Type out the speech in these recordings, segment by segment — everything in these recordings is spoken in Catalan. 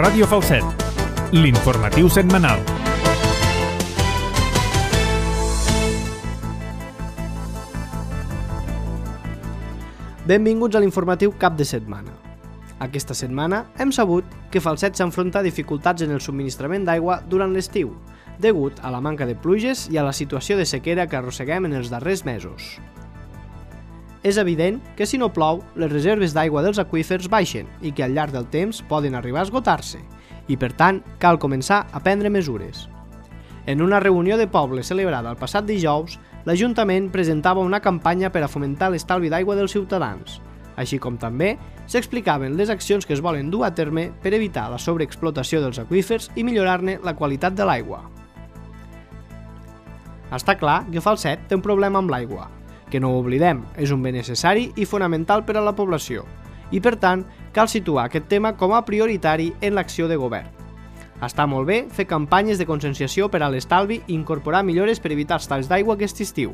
Ràdio Falset, l'informatiu setmanal. Benvinguts a l'informatiu cap de setmana. Aquesta setmana hem sabut que Falset s'enfronta a dificultats en el subministrament d'aigua durant l'estiu, degut a la manca de pluges i a la situació de sequera que arrosseguem en els darrers mesos. És evident que si no plou, les reserves d'aigua dels aqüífers baixen i que al llarg del temps poden arribar a esgotar-se, i per tant cal començar a prendre mesures. En una reunió de poble celebrada el passat dijous, l'Ajuntament presentava una campanya per a fomentar l'estalvi d'aigua dels ciutadans, així com també s'explicaven les accions que es volen dur a terme per evitar la sobreexplotació dels aqüífers i millorar-ne la qualitat de l'aigua. Està clar que Falset té un problema amb l'aigua, que no ho oblidem, és un bé necessari i fonamental per a la població, i per tant cal situar aquest tema com a prioritari en l'acció de govern. Està molt bé fer campanyes de conscienciació per a l'estalvi i incorporar millores per evitar els talls d'aigua aquest estiu,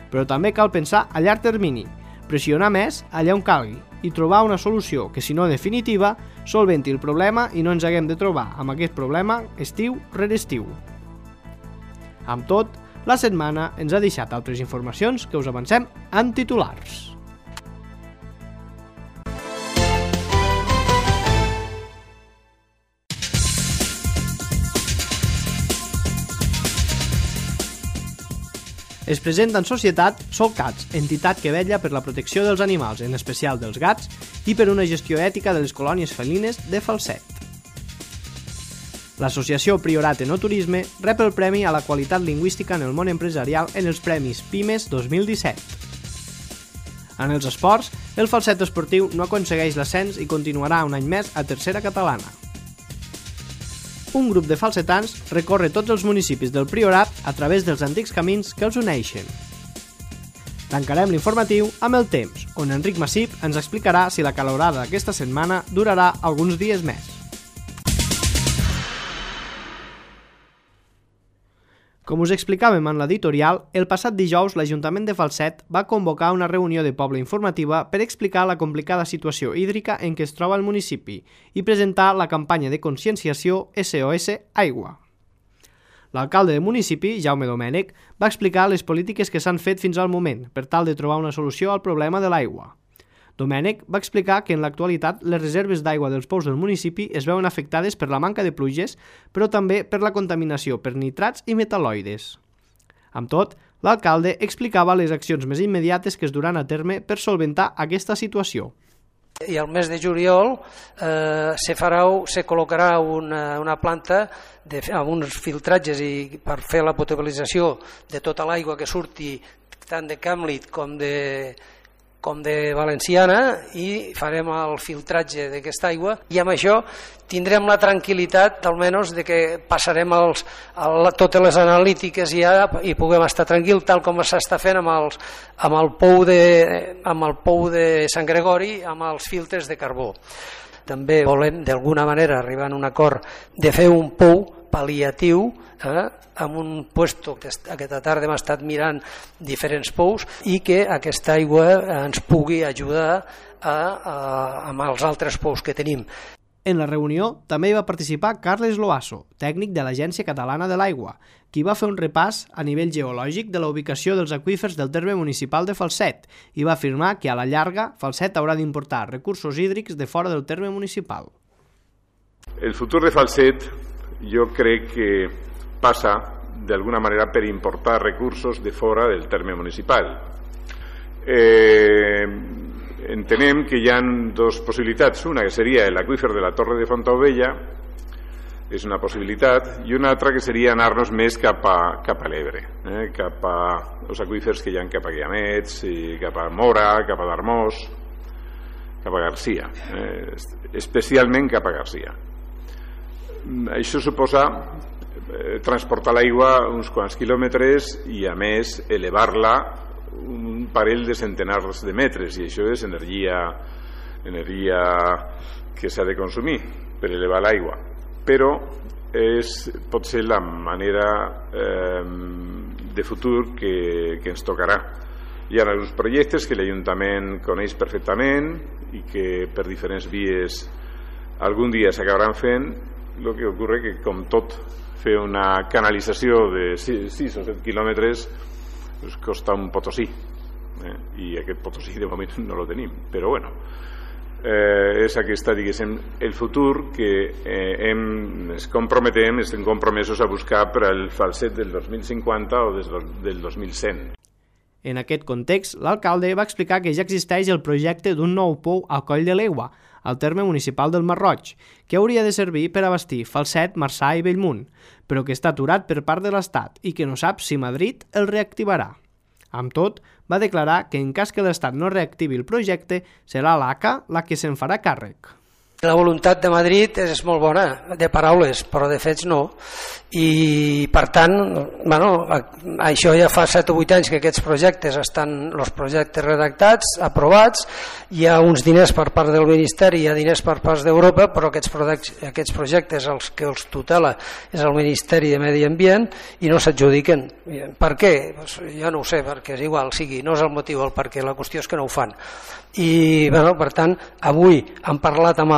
però també cal pensar a llarg termini, pressionar més allà on calgui i trobar una solució que, si no definitiva, solventi el problema i no ens haguem de trobar amb aquest problema estiu rere estiu. Amb tot, la setmana ens ha deixat altres informacions que us avancem en titulars. Es presenta en societat Solcats, entitat que vetlla per la protecció dels animals, en especial dels gats, i per una gestió ètica de les colònies felines de Falset. L'associació Priorat Enoturisme rep el Premi a la Qualitat Lingüística en el Món Empresarial en els Premis PIMES 2017. En els esports, el Falset esportiu no aconsegueix l'ascens i continuarà un any més a Tercera Catalana. Un grup de falsetans recorre tots els municipis del Priorat a través dels antics camins que els uneixen. Tancarem l'informatiu amb el temps, on Enric Massip ens explicarà si la calorada d'aquesta setmana durarà alguns dies més. Com us explicàvem en l'editorial, el passat dijous l'Ajuntament de Falset va convocar una reunió de poble informativa per explicar la complicada situació hídrica en què es troba el municipi i presentar la campanya de conscienciació SOS Aigua. L'alcalde del municipi, Jaume Domènech, va explicar les polítiques que s'han fet fins al moment per tal de trobar una solució al problema de l'aigua. Domènech va explicar que en l'actualitat les reserves d'aigua dels pous del municipi es veuen afectades per la manca de pluges, però també per la contaminació per nitrats i metal·loides. Amb tot, l'alcalde explicava les accions més immediates que es duran a terme per solventar aquesta situació. I al mes de juliol se col·locarà una planta amb uns filtratges per fer la potabilització de tota l'aigua que surti tant de Camlit com de Valenciana, i farem el filtratge d'aquesta aigua i amb això tindrem la tranquil·litat almenys de que passarem totes les analítiques ja i puguem estar tranquil, tal com s'està fent amb el pou de Sant Gregori, amb els filtres de carbó. També volem d'alguna manera arribar a un acord de fer un pou pal·liatiu amb un puesto que aquesta tarda hem estat mirant diferents pous i que aquesta aigua ens pugui ajudar amb els altres pous que tenim. En la reunió també hi va participar Carles Loasso, tècnic de l'Agència Catalana de l'Aigua, qui va fer un repàs a nivell geològic de la ubicació dels aqüífers del terme municipal de Falset i va afirmar que a la llarga Falset haurà d'importar recursos hídrics de fora del terme municipal. El futur de Falset jo crec que passa d'alguna manera per importar recursos de fora del terme municipal. Entenem que hi ha dues possibilitats, una que seria l'aqüífer de la Torre de Fontaubella, és una possibilitat, i una altra que seria anar-nos més cap a l'Ebre, cap a els aqüífers que hi ha cap a Guiamets, cap a Mora, cap a Darmós, cap a Garcia, especialment cap a Garcia. Això suposa transportar l'aigua uns quants quilòmetres i a més elevar-la un parell de centenars de metres, i això és energia que s'ha de consumir per elevar l'aigua, però pot ser la manera de futur que ens tocarà. Hi ha alguns projectes que l'Ajuntament coneix perfectament i que per diferents vies algun dia s'acabaran fent. El que ocorre que, com tot, fer una canalització de 6 o 7 quilòmetres pues costa un potosí, i aquest potosí de moment no lo tenim, però bueno, és aquesta, diguéssim, el futur que estem compromesos a buscar per al falset del 2050 o del 2100. En aquest context, l'alcalde va explicar que ja existeix el projecte d'un nou pou al Coll de l'Aigua, al terme municipal del Masroig, que hauria de servir per abastir Falset, Marçà i Bellmunt, però que està aturat per part de l'Estat i que no sap si Madrid el reactivarà. Amb tot, va declarar que en cas que l'Estat no reactivi el projecte, serà l'ACA la que se'n farà càrrec. La voluntat de Madrid és molt bona, de paraules, però de fets no. I, per tant, això ja fa 7 o 8 anys que aquests projectes estan, els projectes redactats, aprovats, hi ha uns diners per part del Ministeri, hi ha diners per part d'Europa, però aquests projectes els que els tutela és el Ministeri de Medi Ambient i no s'adjudiquen. Per què? Jo no ho sé, perquè és igual, no és el motiu el perquè, la qüestió és que no ho fan. I, per tant, avui hem parlat amb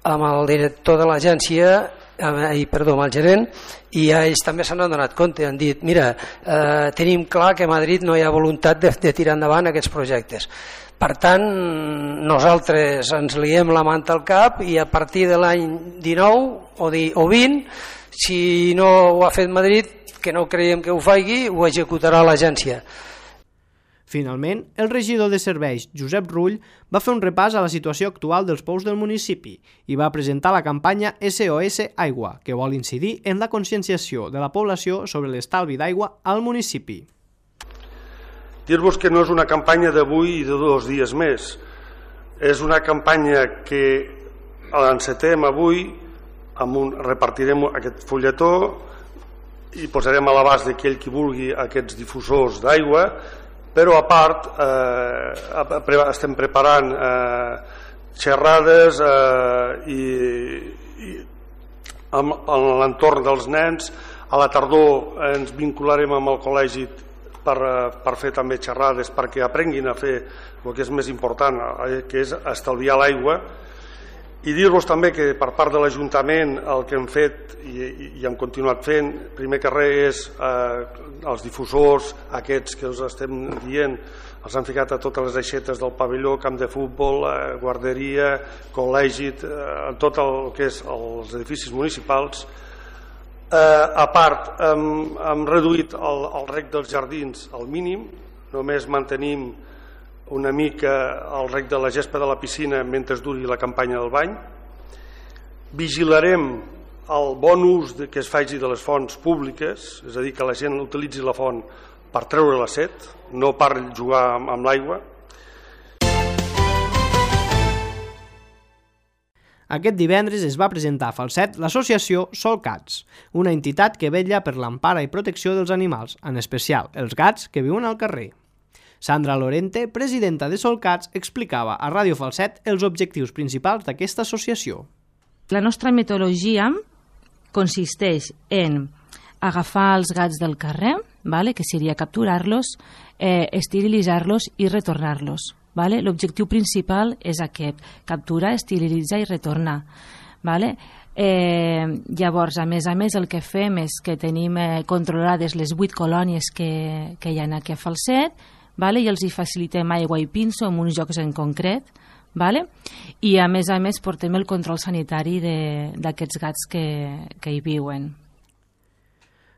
el director de l'agència, amb el gerent, i ells també se n'han donat compte, han dit, mira, tenim clar que a Madrid no hi ha voluntat de tirar endavant aquests projectes. Per tant, nosaltres ens liem la manta al cap i a partir de l'any 19 o 20, si no ho ha fet Madrid, que no creiem que ho faci, ho executarà l'agència. Finalment, el regidor de serveis, Josep Rull, va fer un repàs a la situació actual dels pous del municipi i va presentar la campanya SOS Aigua, que vol incidir en la conscienciació de la població sobre l'estalvi d'aigua al municipi. Dir-vos que no és una campanya d'avui i de 2 dies més. És una campanya que l'encetem avui, repartirem aquest fulletó i posarem a l'abast d'aquell qui vulgui aquests difusors d'aigua, però a part estem preparant xerrades a l'entorn dels nens. A la tardor ens vincularem amb el col·legi per fer també xerrades perquè aprenguin a fer el que és més important, que és estalviar l'aigua. I dir-vos també que per part de l'Ajuntament el que hem fet i hem continuat fent, primer que res, és els difusors aquests que us estem dient, els han ficat a totes les aixetes del pavelló, camp de futbol, guarderia, col·legi, en tot el que és els edificis municipals. A part, hem reduït el reg dels jardins al mínim, només mantenim una mica el reg de la gespa de la piscina mentre duri la campanya del bany. Vigilarem el bon ús que es faci de les fonts públiques, és a dir, que la gent utilitzi la font per treure la set, no per jugar amb l'aigua. Aquest divendres es va presentar a Falset l'associació Solcats, una entitat que vetlla per l'empara i protecció dels animals, en especial els gats que viuen al carrer. Sandra Lorente, presidenta de Solcats, explicava a Ràdio Falset els objectius principals d'aquesta associació. La nostra metodologia consisteix en agafar els gats del carrer, que seria capturar-los, esterilitzar-los i retornar-los. L'objectiu principal és aquest, capturar, esterilitzar i retornar. Llavors, a més, el que fem és que tenim controlades les 8 colònies que hi ha aquí a Falset, i els hi facilitem aigua i pinso en uns llocs en concret, i a més portem el control sanitari d'aquests gats que hi viuen.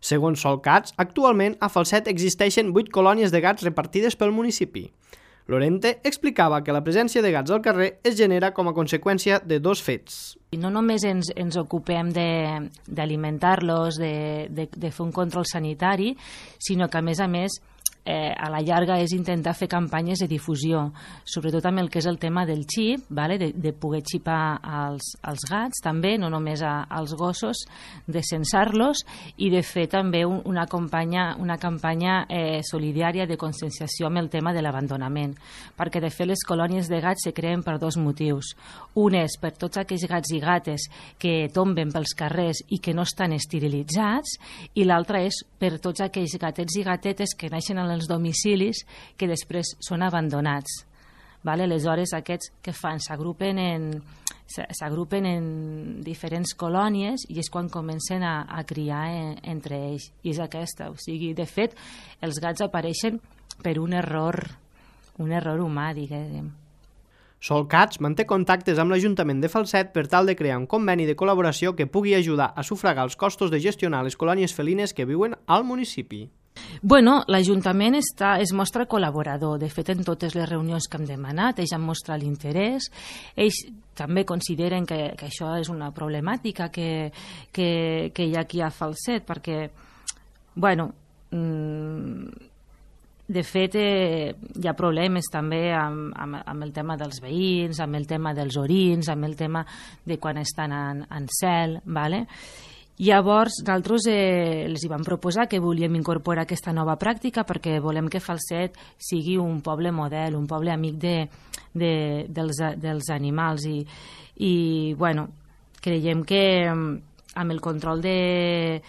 Segons Solcats, actualment a Falset existeixen 8 colònies de gats repartides pel municipi. Lorente explicava que la presència de gats al carrer es genera com a conseqüència de 2 fets. No només ens ocupem d'alimentar-los, de fer un control sanitari, sinó que a més a la llarga és intentar fer campanyes de difusió, sobretot amb el que és el tema del xip, de poder xipar als gats també, no només als gossos, de censar-los i de fer també una campanya solidària de conscienciació amb el tema de l'abandonament, perquè de fet les colònies de gats se creen per 2 motius. Un és per tots aquells gats i gates que tomben pels carrers i que no estan esterilitzats, i l'altre és per tots aquells gatets i gatetes que naixen en els domicilis que després són abandonats. Vale? Aleshores, aquests que fan? S'agrupen en diferents colònies i és quan comencen a criar entre ells. I és aquesta. O sigui, de fet, els gats apareixen per un error humà, diguem. Solcats manté contactes amb l'Ajuntament de Falset per tal de crear un conveni de col·laboració que pugui ajudar a sufragar els costos de gestionar les colònies felines que viuen al municipi. Bueno, l'Ajuntament es mostra col·laborador. De fet, en totes les reunions que hem demanat, ells han mostrat l'interès. Ells també consideren que això és una problemàtica que hi ha aquí a Falset, perquè, bueno, de fet, hi ha problemes també amb el tema dels veïns, amb el tema dels orins, amb el tema de quan estan en cel, ¿vale? Llavors, nosaltres els hi vam proposar que volíem incorporar aquesta nova pràctica perquè volem que Falset sigui un poble model, un poble amic dels animals i bueno, creiem que amb el control de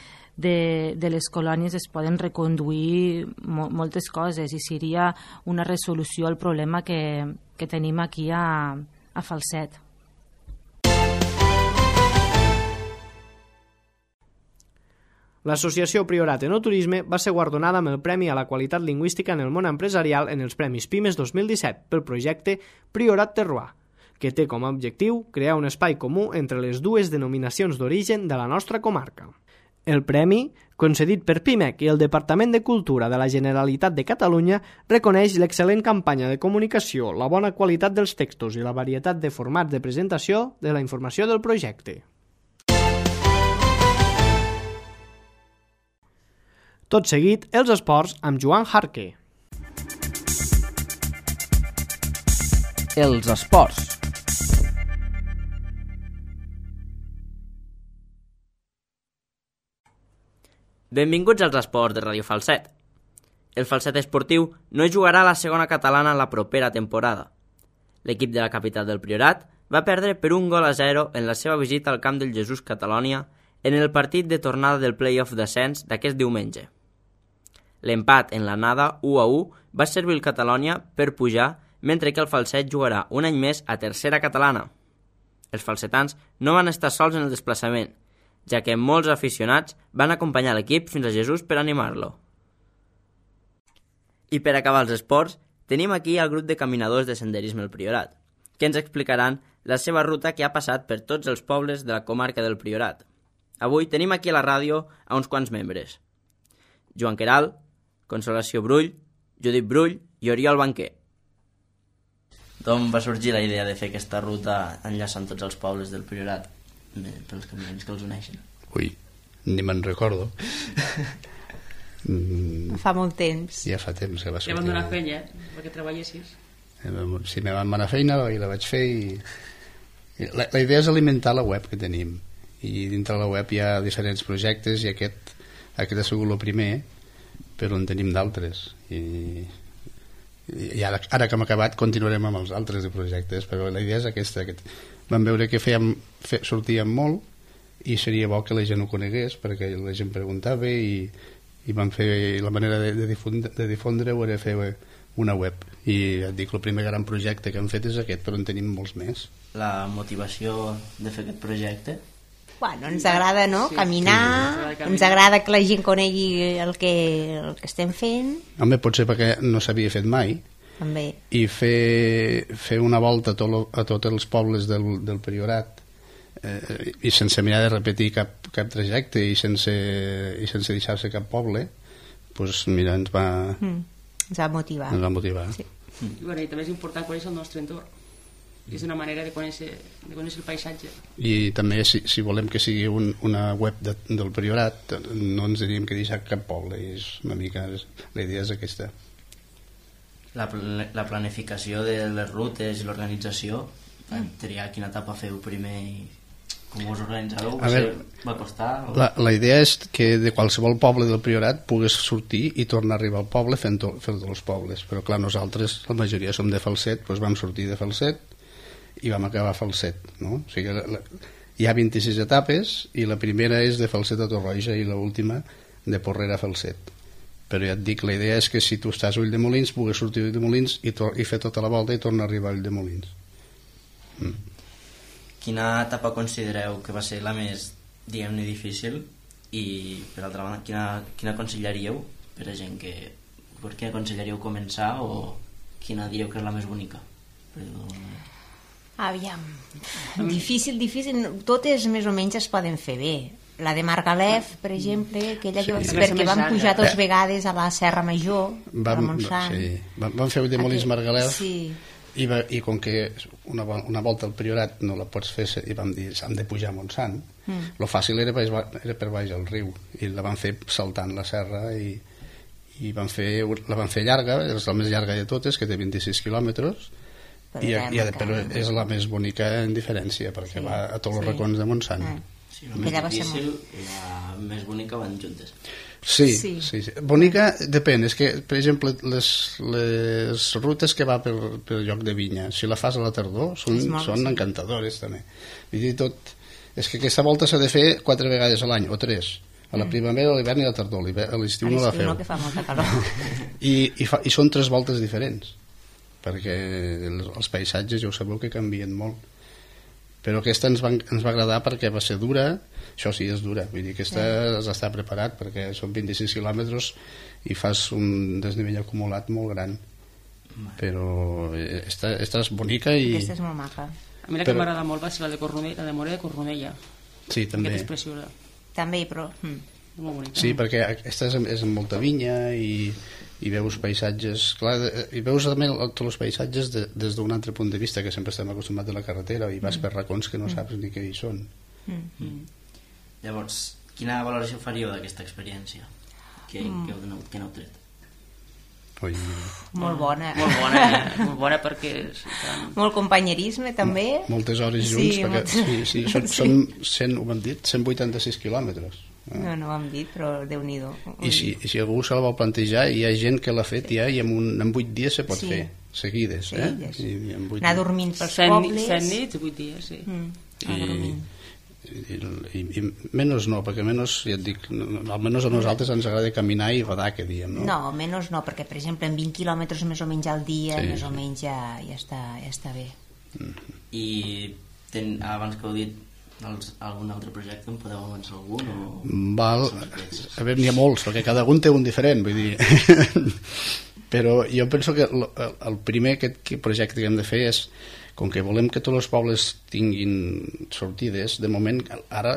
les colònies es poden reconduir moltes coses i seria una resolució al problema que tenim aquí a Falset. L'associació Priorat Enoturisme va ser guardonada amb el Premi a la Qualitat Lingüística en el Món Empresarial en els Premis Pimes 2017 pel projecte Priorat Terroir, que té com a objectiu crear un espai comú entre les dues denominacions d'origen de la nostra comarca. El premi, concedit per PIMEC i el Departament de Cultura de la Generalitat de Catalunya, reconeix l'excel·lent campanya de comunicació, la bona qualitat dels textos i la varietat de formats de presentació de la informació del projecte. Tot seguit, els esports amb Joan Jarque. Els esports. Benvinguts als esports de Ràdio Falset. El Falset Esportiu no jugarà a la segona catalana la propera temporada. L'equip de la capital del Priorat va perdre per 1-0 en la seva visita al camp del Jesús Catalònia en el partit de tornada del play-off d'ascens d'aquest diumenge. L'empat en l'anada 1-1 va servir el Catalònia per pujar, mentre que el Falset jugarà un any més a tercera catalana. Els falsetans no van estar sols en el desplaçament, ja que molts aficionats van acompanyar l'equip fins a Jesús per animar-lo. I per acabar els esports, tenim aquí el grup de caminadors de senderisme El Priorat, que ens explicaran la seva ruta que ha passat per tots els pobles de la comarca del Priorat. Avui tenim aquí a la ràdio a uns quants membres: Joan Queralt, Consolació Brull, Judit Brull i Oriol Banquer. D'on va sorgir la idea de fer aquesta ruta enllaçant tots els pobles del Priorat, pels camins que els uneixen? Ui, ni me'n recordo. Fa molt temps. Ja fa temps que va sortir. Ja van donar feina, perquè treballessis. Sí, me van donar feina i la vaig fer i la idea és alimentar la web que tenim, i dintre la web hi ha diferents projectes i aquest ha sigut el primer, però en tenim d'altres i ara que hem acabat continuarem amb els altres de projectes, però la idea és aquesta. Vam veure que sortíem molt i seria bo que la gent ho conegués perquè la gent preguntava i vam fer la manera de difondre-ho era fer una web, i et dic, el primer gran projecte que hem fet és aquest, però en tenim molts més. La motivació de fer aquest projecte? Bueno, ens agrada, no? Caminar, ens agrada que la gent conegui el que estem fent. Home, potser perquè no s'havia fet mai. També. I fer una volta a tots els pobles del Priorat i sense mirar de repetir cap trajecte i sense deixar-se cap poble, doncs mira, ens va motivar. Sí. I també és important conèixer el nostre entorn. És una manera de conèixer el paisatge. I també si volem que sigui una web del Priorat no ens hauríem que deixar cap poble, és una mica, la idea és aquesta. La planificació de les rutes i l'organització, triar quina etapa feu primer i com us organitzàveu, va costar? La idea és que de qualsevol poble del Priorat pogués sortir i tornar a arribar al poble fent tots els pobles, però clar, nosaltres la majoria som de Falset, doncs vam sortir de Falset i vam acabar a Falset, no? O sigui, hi ha 26 etapes i la primera és de Falset a Torroja i l'última de Porrera a Falset, però ja et dic, la idea és que si tu estàs a Ulldemolins puguis sortir a Ulldemolins i fer tota la volta i tornar a arribar a Ulldemolins. Quina etapa considereu que va ser la més, diguem-ne, difícil, i per altra banda quina aconsellaríeu per a gent que... per què aconsellaríeu començar, o quina diríeu que és la més bonica? Aviam, difícil, totes més o menys es poden fer bé. La de Margalef, per exemple, aquella que perquè vam pujar 2 vegades a la Serra Major, a Montsant. Sí, vam fer Ulldemolins Margalef, i com que una volta al Priorat no la pots fer, i vam dir, hem de pujar a Montsant. Lo fàcil era per baix al riu, i la vam fer saltant la serra, i la van fer llarga, és la més llarga de totes, que té 26 quilòmetres, però és la més bonica en diferència, perquè va a tots els racons de Montsant. Sí, la més difícil i la més bonica van juntes. Sí. Bonica depèn, és que, per exemple, les rutes que va pel lloc de Vinya, si la fas a la tardor, són encantadores també. Vull dir, és que aquesta volta s'ha de fer 4 vegades a l'any, o 3, a la primavera, a l'hivern i a la tardor. A l'estiu no la feu. Que fa molta calor. I són 3 voltes diferents, perquè els paisatges ja ho sabeu que canvien molt. Però aquesta ens va agradar perquè va ser dura, això sí, és dura, vull dir que aquesta has d'estar preparat perquè són 26 quilòmetres i fas un desnivell acumulat molt gran, però aquesta és bonica i... Aquesta és molt maca. A mi la que m'agrada molt va ser la de Cornudella, la de Mora de Cornudella. Sí, també. Aquesta és preciosa. També, però... És molt bonica. Sí, perquè aquesta és amb molta vinya i veus paisatges, clar, i veus també tots els paisatges des d'un altre punt de vista, que sempre estem acostumats a la carretera i vas per racons que no saps ni què hi són. Llavors, quina valoració faríeu d'aquesta experiència? Què n'heu tret? Molt bona. Molt bona perquè... Molt companyerisme també. Moltes hores junts, perquè són 100, ho hem dit, 186 quilòmetres. No ho hem dit, però Déu-n'hi-do. I si algú se la vol plantejar, hi ha gent que l'ha fet ja i en 8 dies se pot fer, seguides. Anar dormint pels pobles. 100 nits, 8 dies, sí. I menys no, perquè menys, ja et dic, almenys a nosaltres ens agrada caminar i badar, que diem, no? No, menys no, perquè per exemple en 20 quilòmetres més o menys al dia, més o menys ja està bé. I abans que heu dit algun altre projecte, en podeu avançar algun? Val, a veure, n'hi ha molts, perquè cada un té un diferent, vull dir. Però jo penso que el primer projecte que hem de fer és, com que volem que tots els pobles tinguin sortides, de moment, ara,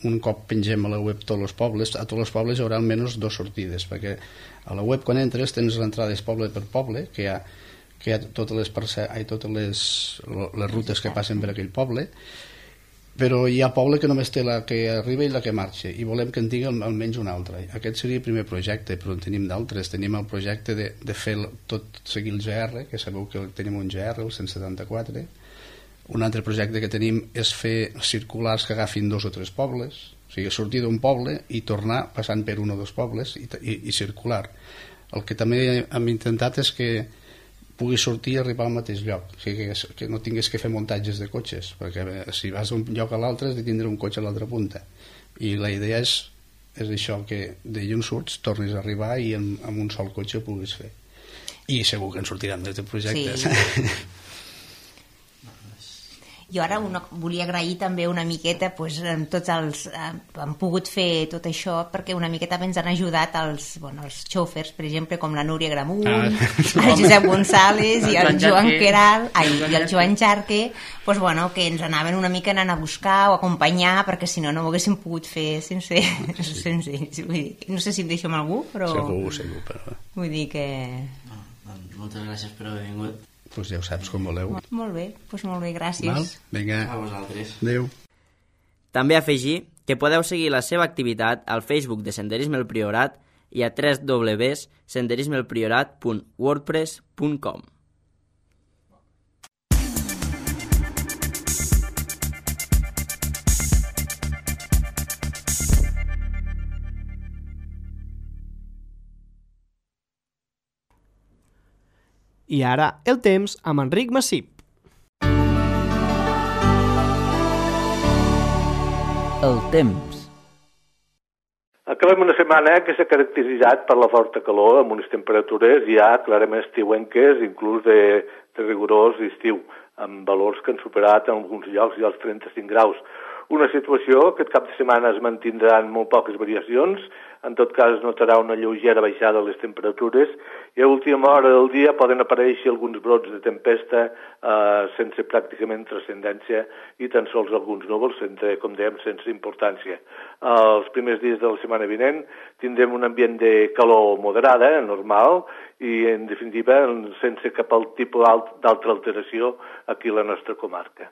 un cop pengem a la web tots els pobles, a tots els pobles hi haurà almenys 2 sortides, perquè a la web quan entres tens l'entrada poble per poble, que hi ha totes les rutes que passen per aquell poble, però hi ha poble que només té la que arriba i la que marxa, i volem que en tingui almenys una altra. Aquest seria el primer projecte, però en tenim d'altres. Tenim el projecte de fer seguir el GR, que sabeu que tenim un GR, el 174. Un altre projecte que tenim és fer circulars que agafin 2 o 3 pobles, o sigui, sortir d'un poble i tornar passant per 1 o 2 pobles i circular. El que també hem intentat és que pugui sortir i arribar al mateix lloc, o sigui, que no tingués que fer muntatges de cotxes, perquè si vas d'un lloc a l'altre has de tindre un cotxe a l'altra punta, i la idea és això, que d'allà on surts tornis a arribar i amb un sol cotxe ho puguis fer, i segur que en sortiran més de projectes. Jo ara volia agrair també una miqueta tots els... han pogut fer tot això perquè una miqueta ens han ajudat els xòfers, per exemple, com la Núria Gramunt, el Josep González i el Joan Queral i el Joan Jarque, que ens anaven una mica anant a buscar o acompanyar, perquè si no ho haguéssim pogut fer sense ells. No sé si em deixo amb algú, però... Segur, però... Vull dir que... Moltes gràcies per haver vingut. Doncs ja ho saps com voleu. Molt bé, gràcies. Vinga, a vosaltres. Adéu. També afegir que podeu seguir la seva activitat al Facebook de Senderisme El Priorat i a www.senderismeelpriorat.wordpress.com. I ara, el temps amb Enric Massip. El temps. Acabem una setmana que s'ha caracteritzat per la forta calor, amb unes temperatures ja clarament estiuenques, inclús de rigorós estiu, amb valors que han superat en alguns llocs ja els 35 graus. Una situació que aquest cap de setmana es mantindran molt poques variacions, en tot cas es notarà una lleugera baixada de les temperatures i a última hora del dia poden aparèixer alguns brots de tempesta sense pràcticament transcendència i tan sols alguns núvols, com dèiem, sense importància. Els primers dies de la setmana vinent tindrem un ambient de calor moderada, normal, i en definitiva sense cap tipus d'altra alteració aquí a la nostra comarca.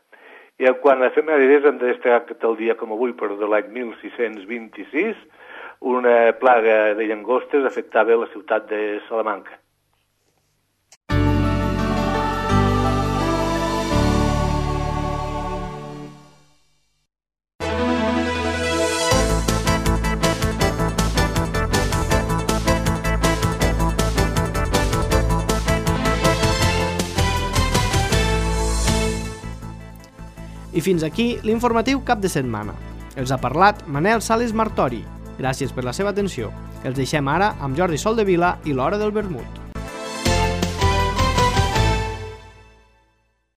I quan a efemèrides hem de destacar el dia com avui, però de l'any 1626, una plaga de llangostes afectava la ciutat de Salamanca. I fins aquí l'informatiu cap de setmana. Els ha parlat Manel Sales Martori. Gràcies per la seva atenció. Els deixem ara amb Jordi Soldevila i l'Hora del Vermut.